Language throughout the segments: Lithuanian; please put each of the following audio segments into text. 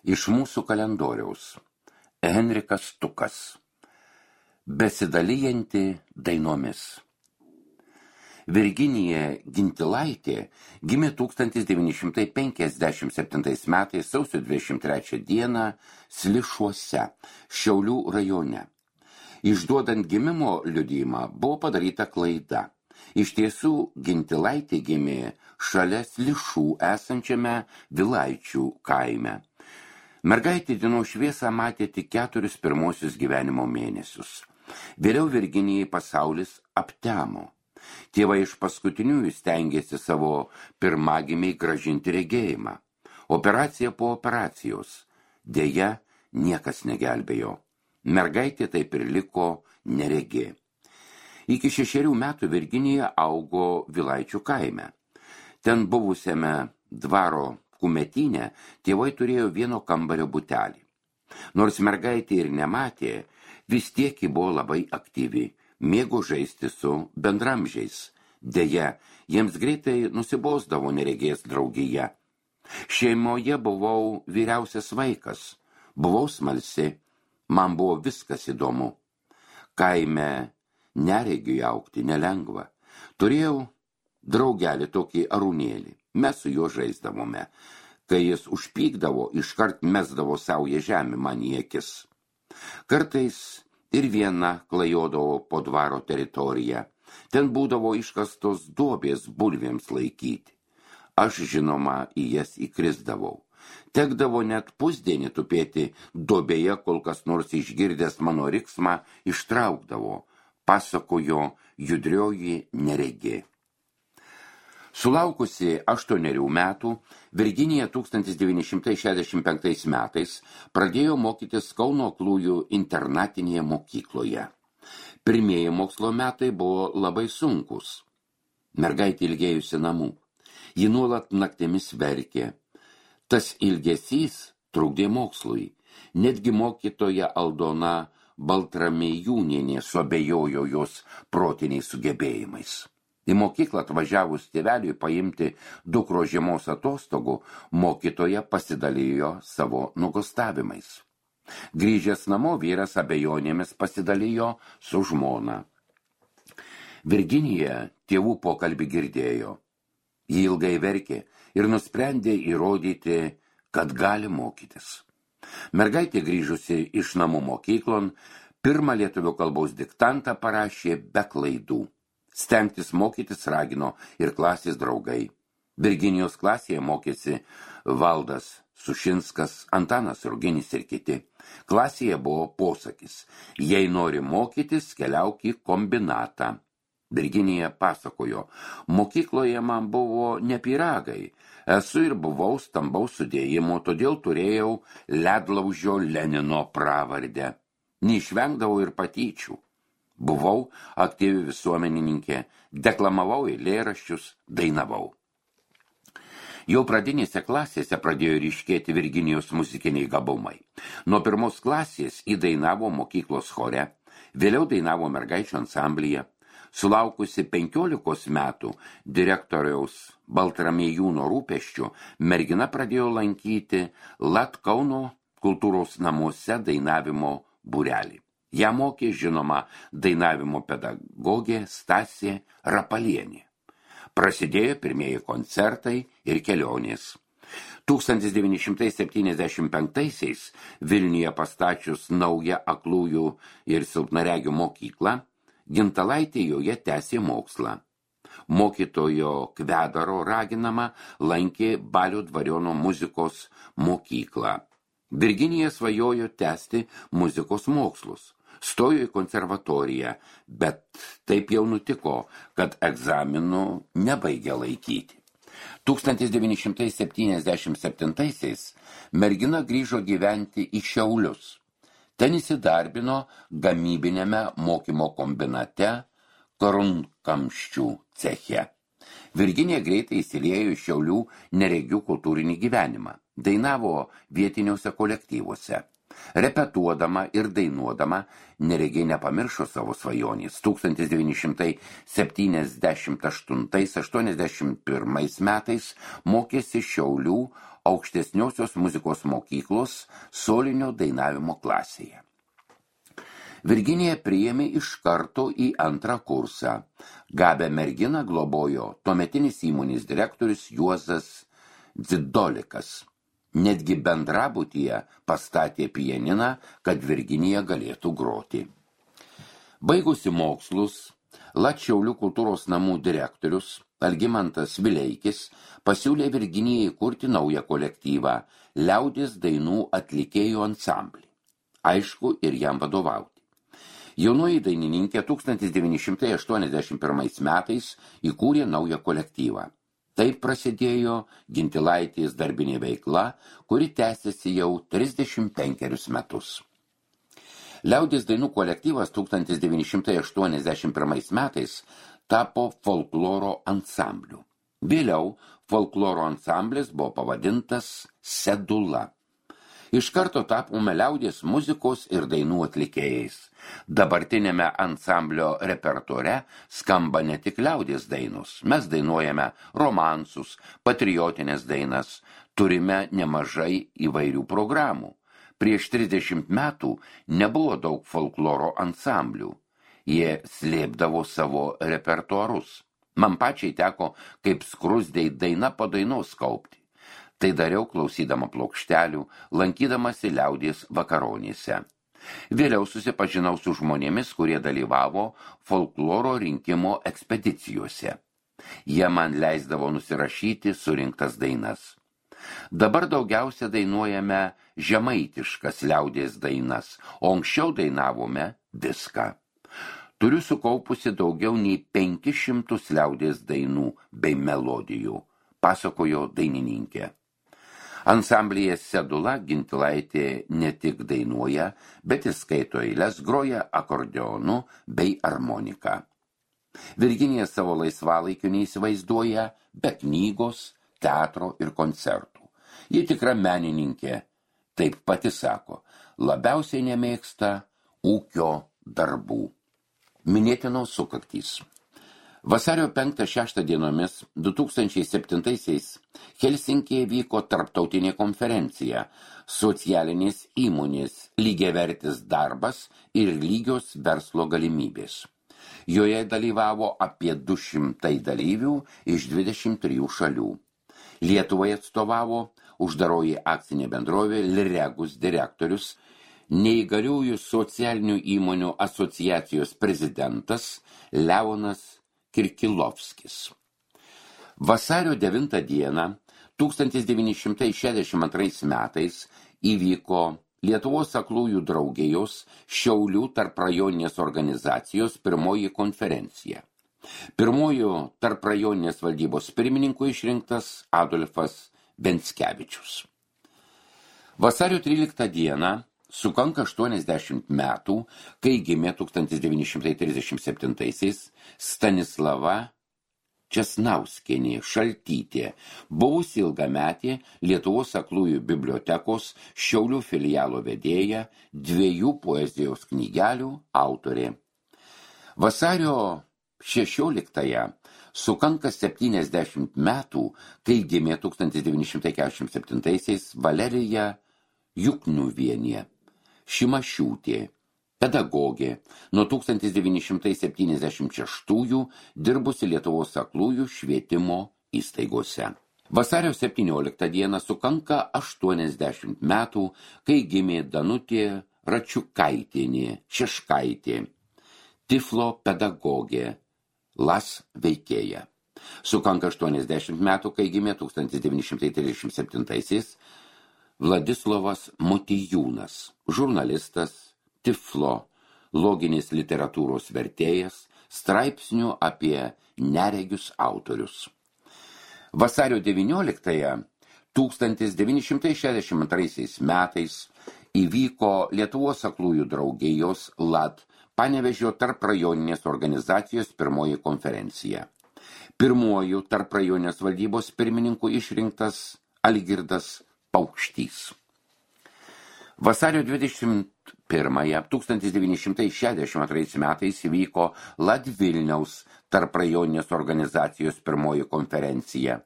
Iš mūsų kalendoriaus. Henrikas Stukas. Besidalijanti dainomis. Virginija Gintilaitė gimė 1957 metais sausio 23 dieną Slišuose, Šiaulių rajone. Išduodant gimimo liudijimą buvo padaryta klaida. Iš tiesų, Gintilaitė gimė šalia Slišų esančiame Vilaičių kaime. Mergaitė dienos šviesą matė tik 4 pirmosius gyvenimo mėnesius. Vėliau Virginijai pasaulis aptemo. Tėvai iš paskutiniųjų stengėsi savo pirmagimiai grąžinti regėjimą. Operacija po operacijos. Deja, niekas negelbėjo. Mergaitė taip ir liko neregė. Iki 6 metų Virginija augo Vilaičių kaime. Ten buvusiame dvaro kumetyne tėvai turėjo vieno kambario butelį. Nors mergaitė ir nematė, vis tiek ji buvo labai aktyvi, mėgo žaisti su bendramžiais. Deja, jiems greitai nusibosdavo neregės draugija. Šeimoje buvau vyriausias vaikas, buvau smalsi, man buvo viskas įdomu. Kaime neregiui augti nelengva. Turėjau draugelį tokį Arūnėlį. Mes su juo žaisdavome. Kai jis užpykdavo, iškart mesdavo saują žemę man į akis. Kartais ir viena klajodavo po dvaro teritoriją. Ten būdavo iškastos duobės bulvėms laikyti. Aš, žinoma, į jas įkrisdavau. Tekdavo net pusdienį tupėti duobėje, kol kas nors išgirdęs mano riksmą ištraukdavo, pasakojo judrioji neregė. Sulaukusi 8 metų, Virginija 1965 metais pradėjo mokytis Kauno aklųjų internatinėje mokykloje. Pirmieji mokslo metai buvo labai sunkus. Mergaitė ilgėjusi namų. Ji nuolat naktimis verkė. Tas ilgesys trukdė mokslui. Netgi mokytoja Aldona Baltramėjūnienė suabejojo jos protiniais sugebėjimais. Į mokyklą atvažiavus tėveliui paimti dukro žiemos atostogų, mokytoja pasidalijo savo nuogąstavimais. Grįžęs namo, vyras abejonėmis pasidalijo su žmona. Virginija tėvų pokalbį girdėjo. Ji ilgai verkė ir nusprendė įrodyti, kad gali mokytis. Mergaitė grįžusi iš namų mokyklon, pirmą lietuvių kalbos diktantą parašė be klaidų. Stengtis mokytis ragino ir klasės draugai. Virginijos klasėje mokėsi Valdas Sušinskas, Antanas Ruginis ir kiti. Klasėje buvo posakis: jei nori mokytis, keliauk į kombinatą. Virginija pasakojo: mokykloje man buvo ne pyragai. Esu ir buvau stambaus sudėjimo, todėl turėjau ledlaužio Lenino pravardę. Neišvengdavau ir patyčių. Buvau aktyvi visuomenininkė, deklamavau eilėraščius, dainavau. Jau pradinėse klasėse pradėjo ryškėti Virginijos muzikiniai gabumai. Nuo 1 klasės įdainavo mokyklos chore, vėliau dainavo mergaičių ansamblyje. Sulaukusi 15 metų direktoriaus Baltramėjūno rūpesčių, mergina pradėjo lankyti Kauno kultūros namuose dainavimo būrelį. Ją mokė, žinoma, dainavimo pedagogė Stasė Rapalienė. Prasidėjo pirmieji koncertai ir kelionės. 1975-aisiais Vilniuje pastačius naują aklųjų ir silpnaregių mokyklą, Gintilaitė joje tęsė mokslą. Mokytojo Kvedaro raginama lankė Balio dvariono muzikos mokyklą. Virginija svajojo tęsti muzikos mokslus. Stojo į konservatoriją, bet taip jau nutiko, kad egzaminų nebaigė laikyti. 1977-aisiais mergina grįžo gyventi į Šiaulius. Ten įsidarbino gamybinėme mokymo kombinate Karunkamščių ceche. Virginija greitai įsiliejo į Šiaulių neregių kultūrinį gyvenimą. Dainavo vietiniuose kolektyvuose. Repetuodama ir dainuodama Neregė nepamiršo savo svajonės. 1978–81 metais mokėsi Šiaulių aukštesniosios muzikos mokyklos solinio dainavimo klasėje. Virginija priėmė iš karto į antrą kursą. Gabią merginą globojo tuometinis įmonės direktorius Juozas Dzidolikas. Netgi bendrabutyje pastatė pianiną, kad Virginija galėtų groti. Baigusi mokslus, Šiaulių kultūros namų direktorius Algimantas Vileikis pasiūlė Virginijai kurti naują kolektyvą liaudies dainų atlikėjų ansamblį. Aišku, ir jam vadovauti. Jaunoji dainininkė 1981 metais įkūrė naują kolektyvą. Taip prasidėjo Gintilaitės darbinė veikla, kuri tęsiasi jau 35 metus. Liaudies dainų kolektyvas 1981 metais tapo folkloro ansambliu. Vėliau folkloro ansamblis buvo pavadintas Sedula. Iš karto tapome liaudies muzikos ir dainų atlikėjais. Dabartinėme ansamblio repertuare skamba ne tik liaudies dainos. Mes dainuojame romansus, patriotinės dainas, turime nemažai įvairių programų. Prieš 30 metų nebuvo daug folkloro ansamblių. Jie slėpdavo savo repertuarus. Man pačiai teko kaip skrusdei daina po dainos kaupti. Tai dariau klausydama plokštelių, lankydamasi liaudies vakaronėse. Vėliau susipažinau su žmonėmis, kurie dalyvavo folkloro rinkimo ekspedicijose. Jie man leisdavo nusirašyti surinktas dainas. Dabar daugiausia dainuojame žemaitiškas liaudies dainas, o anksčiau dainavome viską. Turiu sukaupusi daugiau nei 500 liaudies dainų bei melodijų, pasakojo dainininkė. Ansamblyje Sedula Gintilaitė ne tik dainuoja, bet ir skaito eiles, groja akordeonu bei armonika. Virginija savo laisvalaikiu neįsivaizduoja be knygos, teatro ir koncertų. Ji tikra menininkė, taip pati sako, labiausiai nemėgsta ūkio darbų. Minėtinos sukaktys. Vasario 5–6 dienomis 2007 Helsinkėje vyko tarptautinė konferencija Socialinės įmonės lygiavertis darbas ir lygios verslo galimybės. Joje dalyvavo apie 200 dalyvių iš 23 šalių. Lietuvai atstovavo uždaroji akcinė bendrovė Liregus direktorius, neįgaliųjų socialinių įmonių asociacijos prezidentas Leonas Kirkilovskis. Vasario 9 dieną 1962 metais įvyko Lietuvos aklųjų draugijos Šiaulių tarprajoninės organizacijos pirmoji konferencija. Pirmojų tarprajoninės valdybos pirmininku išrinktas Adolfas Venckevičius. Vasario 13 dieną sukanka 80 metų, kai gimė 1937 Stanislava Česnauskienė Šaltytė, buvusi ilgametė Lietuvos aklųjų bibliotekos Šiaulių filialo vedėja, 2 poezijos knygelių autorė. Vasario 16-ąją sukanka 70 metų, kai gimė 1947 Valerija Jukniuvienė Šimašiūtė, pedagogė, nuo 1976 dirbusi Lietuvos aklųjų švietimo įstaigose. Vasario 17 dieną sukanka 80 metų, kai gimė Danutė Račiukaitienė Šeškaitė, Tiflo pedagogė, Las veikėja. Sukanka 80 metų, kai gimė 1937 Vladislovas Motijūnas, žurnalistas, Tiflo, loginės literatūros vertėjas, straipsnių apie neregius autorius. Vasario 19-ąją 1962 metais įvyko Lietuvos aklųjų draugijos LAD Panevėžio tarprajoninės organizacijos pirmoji konferencija. Pirmuoju tarprajoninės valdybos pirmininku išrinktas Algirdas Paukštys. Vasario 21-1962 metais įvyko Latvilniaus tarprajoninės organizacijos pirmoji konferencija.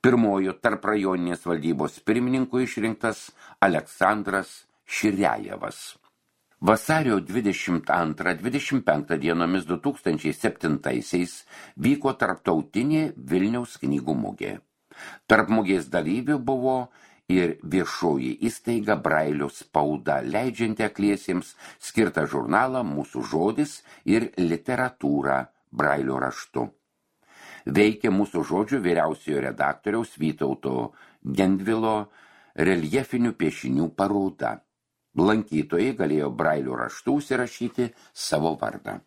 Pirmojo tarprajoninės valdybos pirmininku išrinktas Aleksandras Širiajevas. Vasario 22-25 dienomis 2007 vyko tarptautinė Vilniaus knygų mugė. Tarp mugės dalyvių buvo ir viešoji įstaiga Brailio spauda, leidžianti akliesiems skirtą žurnalą Mūsų žodis ir literatūra Brailio raštu. Veikė Mūsų žodžių vyriausiojo redaktoriaus Vytauto Gendvilo reljefinių piešinių paroda. Lankytojai galėjo Brailio raštu užsirašyti savo vardą.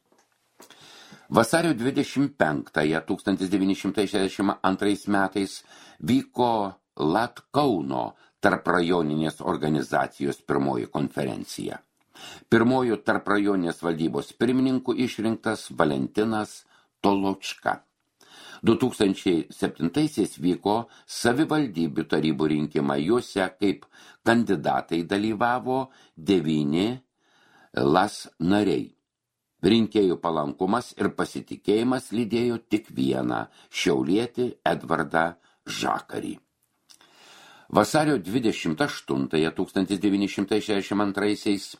Vasario 25-1962 metais vyko Latkauno tarprajoninės organizacijos pirmoji konferencija. Pirmojo tarprajoninės valdybos pirmininku išrinktas Valentinas Toločka. 2007 vyko savivaldybių tarybų rinkimai, juose kaip kandidatai dalyvavo 9 LAS nariai. Rinkėjų palankumas ir pasitikėjimas lydėjo tik vieną šiaulietį Edvardą Žakarį. Vasario 28-1962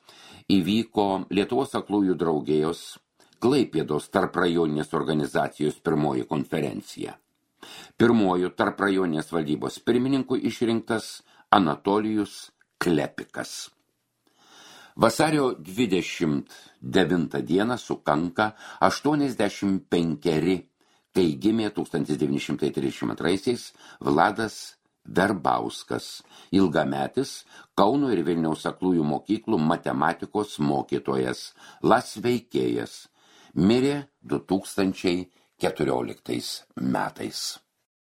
įvyko Lietuvos aklųjų draugijos Klaipėdos tarprajoninės organizacijos pirmoji konferencija. Pirmojo tarprajoninės valdybos pirmininku išrinktas Anatolijus Klepikas. Vasario 29 dieną sukanka 85, kai gimė 1932 Vladas Verbauskas, ilgametis Kauno ir Vilniaus aklųjų mokyklų matematikos mokytojas, LAS veikėjas, mirė 2014 metais.